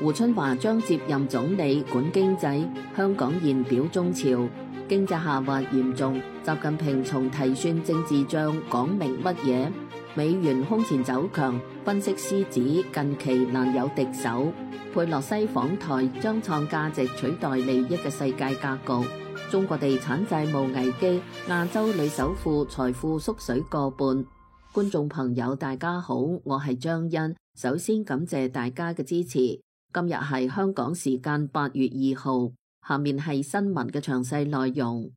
胡春華將接任總理管經濟，香港現表中潮，經濟下滑嚴重。習近平從提算政治帳講明乜嘢？美元空前走強，分析師指近期難有敵手。佩洛西訪台將創價值取代利益嘅世界格局。中國地產債務危機，亞洲女首富財富縮水過半。觀眾朋友大家好，我係張欣，首先感謝大家嘅支持。今日係香港時間8月2號，下面係新聞嘅詳細內容。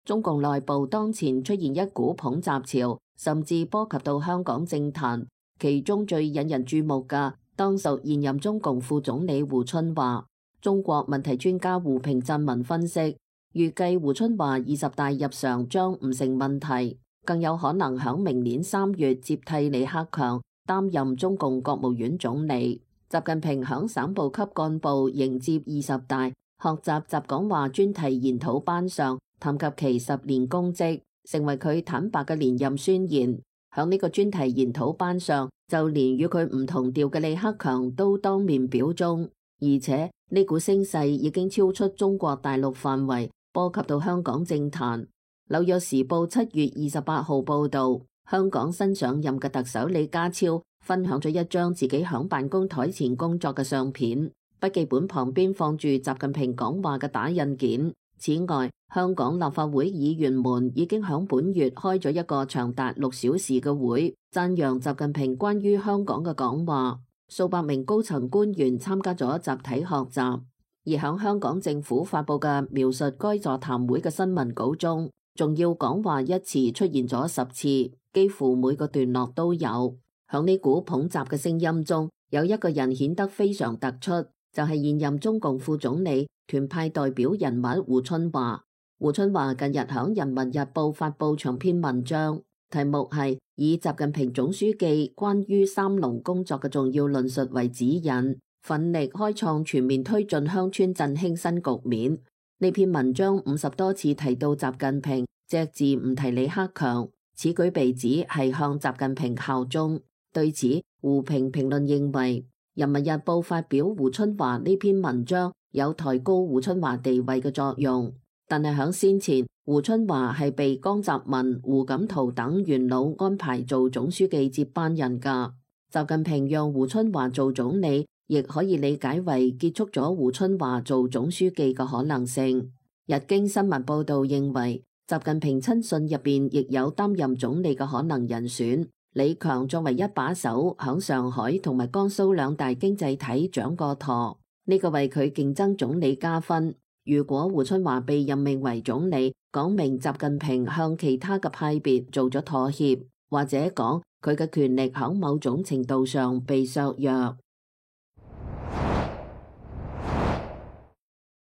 中共內部當前出現一股捧習潮，甚至波及到香港政壇，其中最引人注目嘅當屬現任中共副總理胡春華。中國問題專家胡平撰文分析，預計胡春華20大入常將唔成問題，更有可能響明年3月接替李克強擔任中共國務院總理。習近平響省部級幹部迎接20大學習習講話專題研討班上談及其10年功績，成為佢坦白嘅連任宣言。響呢個專題研討班上，就連與佢唔同調嘅李克強都當面表忠，而且呢股聲勢已經超出中國大陸範圍，波及到香港政壇。紐約時報7月28號報道，香港新上任嘅特首李家超分享咗一張自己響辦公台前工作嘅相片，筆記本旁邊放住習近平講話嘅打印件。此外，香港立法會議員們已經響本月開咗一個長達6小時嘅會，讚揚習近平關於香港嘅講話。數百名高層官員參加咗集體學習，而響香港政府發佈嘅描述該座談會嘅新聞稿中，重要講話一詞出現咗10次，幾乎每個段落都有。響呢股捧習嘅聲音中，有一個人顯得非常突出，就係現任中共副總理、團派代表人物胡春華。胡春華近日響《人民日報》發佈長篇文章，題目係以習近平總書記關於三農工作嘅重要論述為指引，奮力開創全面推進鄉村振興新局面。呢篇文章50多次提到習近平，隻字唔提李克強，此舉被指係向習近平效忠。對此，胡平評論認為，《人民日報》發表胡春華呢篇文章有抬高胡春華地位嘅作用，但係響先前，胡春華係被江澤民、胡錦濤等元老安排做總書記接班人噶。習近平讓胡春華做總理，亦可以理解為結束咗胡春華做總書記嘅可能性。日經新聞報道認為，習近平親信入邊亦有擔任總理嘅可能人選。李強作為一把手，響上海同埋江蘇兩大經濟體掌過舵，呢個為佢競爭總理加分。如果胡春華被任命為總理，講明習近平向其他嘅派別做咗妥協，或者講佢嘅權力響某種程度上被削弱。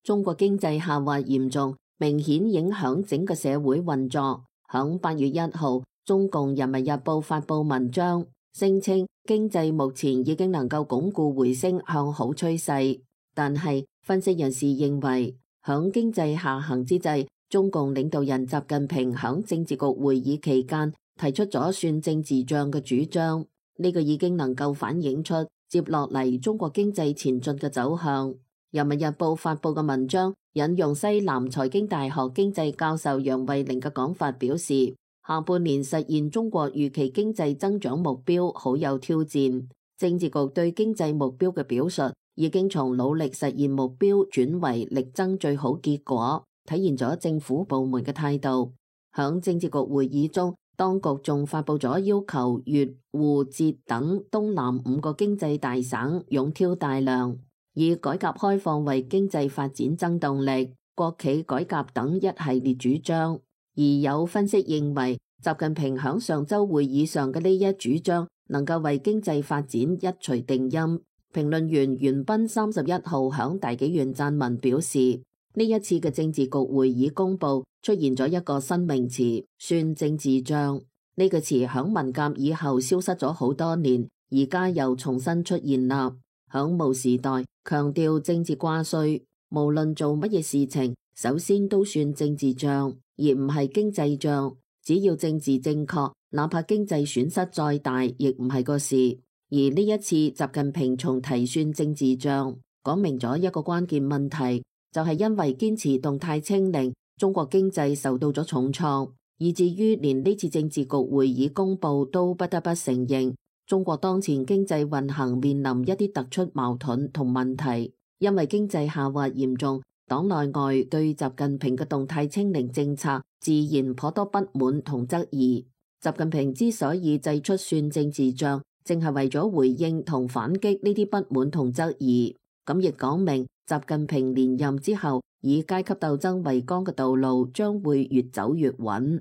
中國經濟下滑嚴重，明顯影響整個社會運作。響8月1號，中共人民日報發佈文章，聲稱經濟目前已經能夠鞏固回升向好趨勢，但係分析人士認為，響經濟下行之際，中共領導人習近平響政治局會議期間提出咗算政治帳嘅主張，呢個已經能夠反映出接落嚟中國經濟前進嘅走向。人民日報發佈嘅文章引用西南財經大學經濟教授楊惠玲嘅講法表示，下半年實現中國預期經濟增長目標好有挑戰。政治局對經濟目標嘅表述已經從努力實現目標轉為力爭最好結果，體現咗政府部門嘅態度。響政治局會議中，當局仲發佈咗要求粵滬浙等東南5個經濟大省勇挑大梁，以改革開放為經濟發展增動力、國企改革等一系列主張。而有分析認為，習近平響上周會議上嘅呢一主張能夠為經濟發展一錘定音。評論員袁斌31號響大紀元撰文表示，呢一次嘅政治局會議公佈出現咗一個新名詞，算政治帳。呢個詞響文革以後消失咗好多年，而家又重新出現啦。響毛時代強調政治掛帥，無論做乜嘢事情，首先都算政治帳，而唔係經濟帳。只要政治正確，哪怕經濟損失再大，亦唔係個事。而呢一次習近平從提算政治帳，講明咗一個關鍵問題，就係因為堅持動態清零，中國經濟受到咗重創，以至於連呢次政治局會議公佈都不得不承認，中國當前經濟運行面臨一啲突出矛盾同問題，因為經濟下滑嚴重，黨內外對習近平嘅動態清零政策自然頗多不滿同質疑。習近平之所以祭出算政治帳，正係為咗回應同反擊呢啲不滿同質疑。咁亦講明習近平連任之後，以階級鬥爭為綱嘅道路將會越走越穩。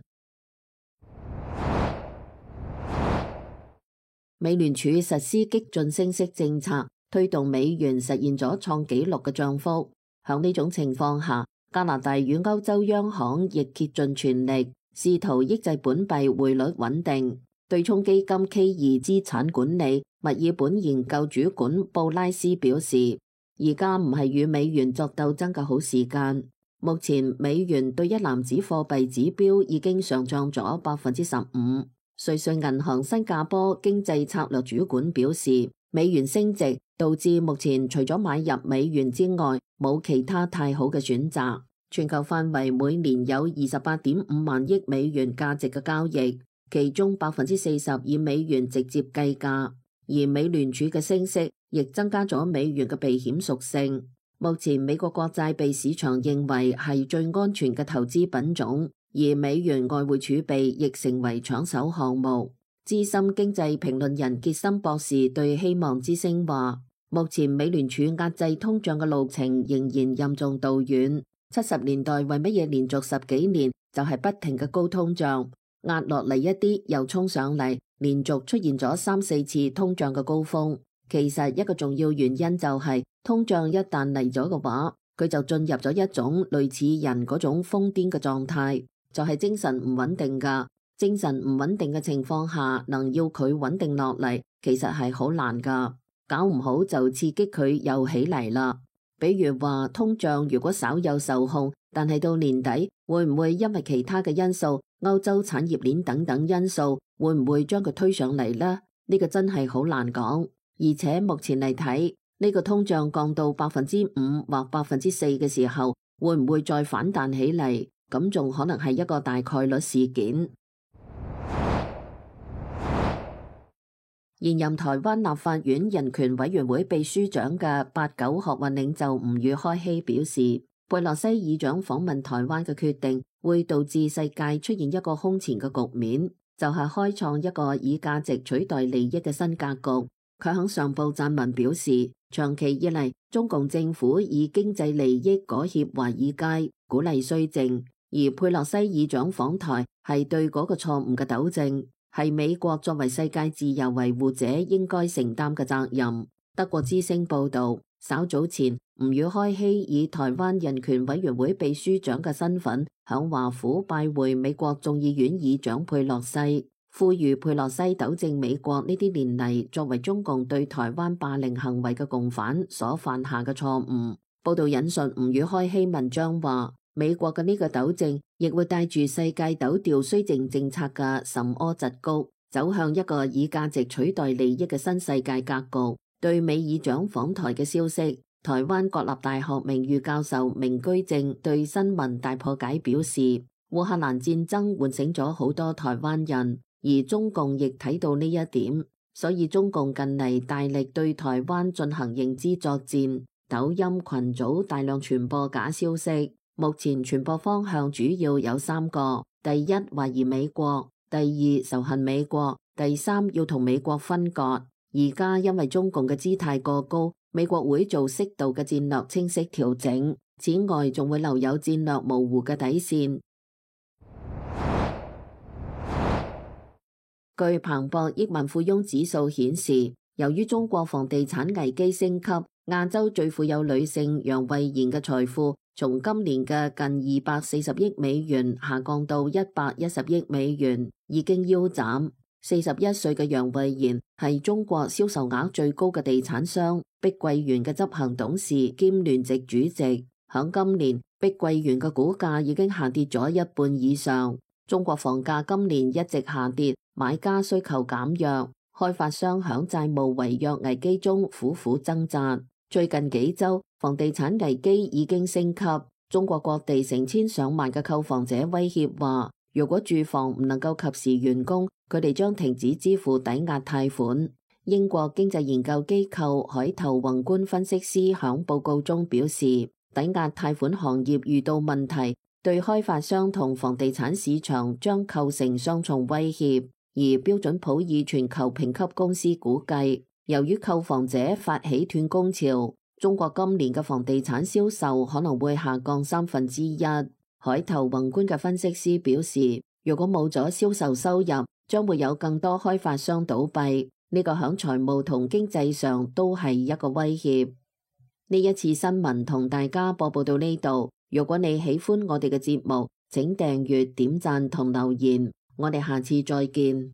美聯儲實施激進升息政策，推動美元實現咗創紀錄嘅漲幅。響呢種情況下，加拿大與歐洲央行亦竭盡全力，試圖抑制本幣匯率穩定。對沖基金 K2 資產管理墨爾本研究主管布拉斯表示，而家唔係與美元作鬥爭嘅好時間。目前美元對一籃子貨幣指標已經上漲咗15%。瑞信銀行新加坡經濟策略主管表示，美元升值導致目前除咗買入美元之外，冇其他太好嘅選擇。全球範圍每年有28.5萬億美元價值嘅交易，其中40%以美元直接計價，而美聯儲嘅升息亦增加咗美元嘅避險屬性。目前美國國債被市場認為係最安全嘅投資品種，而美元外匯儲備亦成為搶手項目。資深經濟評論人傑森博士對希望之聲話，目前美聯儲壓制通脹嘅路程仍然任重道遠。70年代為乜嘢連續10幾年就係不停嘅高通脹，壓落嚟一啲又衝上嚟，連續出現咗3、4次通脹嘅高峰。其實一個重要原因就係通脹一旦嚟咗嘅話，佢就進入咗一種類似人嗰種瘋癲嘅狀態，就係精神唔穩定噶。精神唔穩定嘅情況下，能要佢穩定落嚟，其實係好難噶。搞唔好就刺激佢又起嚟啦。比如話通脹如果稍有受控，但係到年底會唔會因為其他嘅因素，歐洲產業鏈等等因素，會唔會將佢推上嚟呢？呢個真係好難講。而且目前嚟睇，呢個通脹降到5%或4%嘅時候，會唔會再反彈起嚟？咁仲可能係一個大概率事件。現任台灣立法院人權委員會秘書長嘅8·9學運領袖吳宇開希表示，佩洛西議長訪問台灣嘅決定會導致世界出現一個空前嘅局面，就係開創一個以價值取代利益嘅新格局。佢喺上報撰文表示，長期以嚟中共政府以經濟利益裹挾華爾街，鼓勵綏靖，而佩洛西議長訪台係對嗰個錯誤嘅糾正，係美國作為世界自由維護者應該承擔嘅責任。德國之聲報導，稍早前吳宇開希以台灣人權委員會秘書長嘅身份，響華府拜會美國眾議院議長佩洛西，呼籲佩洛西糾正美國呢啲年嚟作為中共對台灣霸凌行為嘅共犯所犯下嘅錯誤。報導引述吳宇開希文章話，美國嘅呢個糾正亦會帶住世界抖掉綏靖政策嘅甚柯疾谷，走向一個以價值取代利益嘅新世界格局。對美議長訪台嘅消息，台灣國立大學名譽教授明居正對新聞大破解表示，烏克蘭戰爭喚醒咗好多台灣人，而中共亦睇到呢一點，所以中共近嚟大力對台灣進行認知作戰，抖音群組大量傳播假消息。目前傳播方向主要有3個：第一，懷疑美國；第二，仇恨美國；第三，要同美國分割。而家因為中共嘅姿態過高，美國會做適度嘅戰略清晰調整，此外仲會留有戰略模糊嘅底線。據彭博億萬富翁指數顯示，由於中國房地產危機升級，亞洲最富有女性楊惠妍嘅財富從今年嘅近240億美元下降到110億美元，已經腰斬。41歲嘅楊惠妍係中國銷售額最高嘅地產商碧桂園嘅執行董事兼聯席主席。響今年，碧桂園嘅股價已經下跌咗一半以上。中國房價今年一直下跌，買家需求減弱，開發商響債務違約危機中苦苦掙扎。最近幾週，房地產危機已經升級。中國各地成千上萬嘅購房者威脅話，如果住房唔能夠及時完工，佢哋將停止支付抵押貸款。英國經濟研究機構海頭宏觀分析師響報告中表示，抵押貸款行業遇到問題，對開發商同房地產市場將構成雙重威脅。而標準普爾全球評級公司估計，由於購房者發起斷供潮，中國今年嘅房地產銷售可能會下降1/3。海頭宏觀嘅分析師表示，如果冇咗銷售收入，將會有更多開發商倒閉，呢個響財務同經濟上都係一個威脅。呢一次新聞同大家播報到呢度，如果你喜歡我哋嘅節目，請訂閱、點讚同留言。我哋下次再見。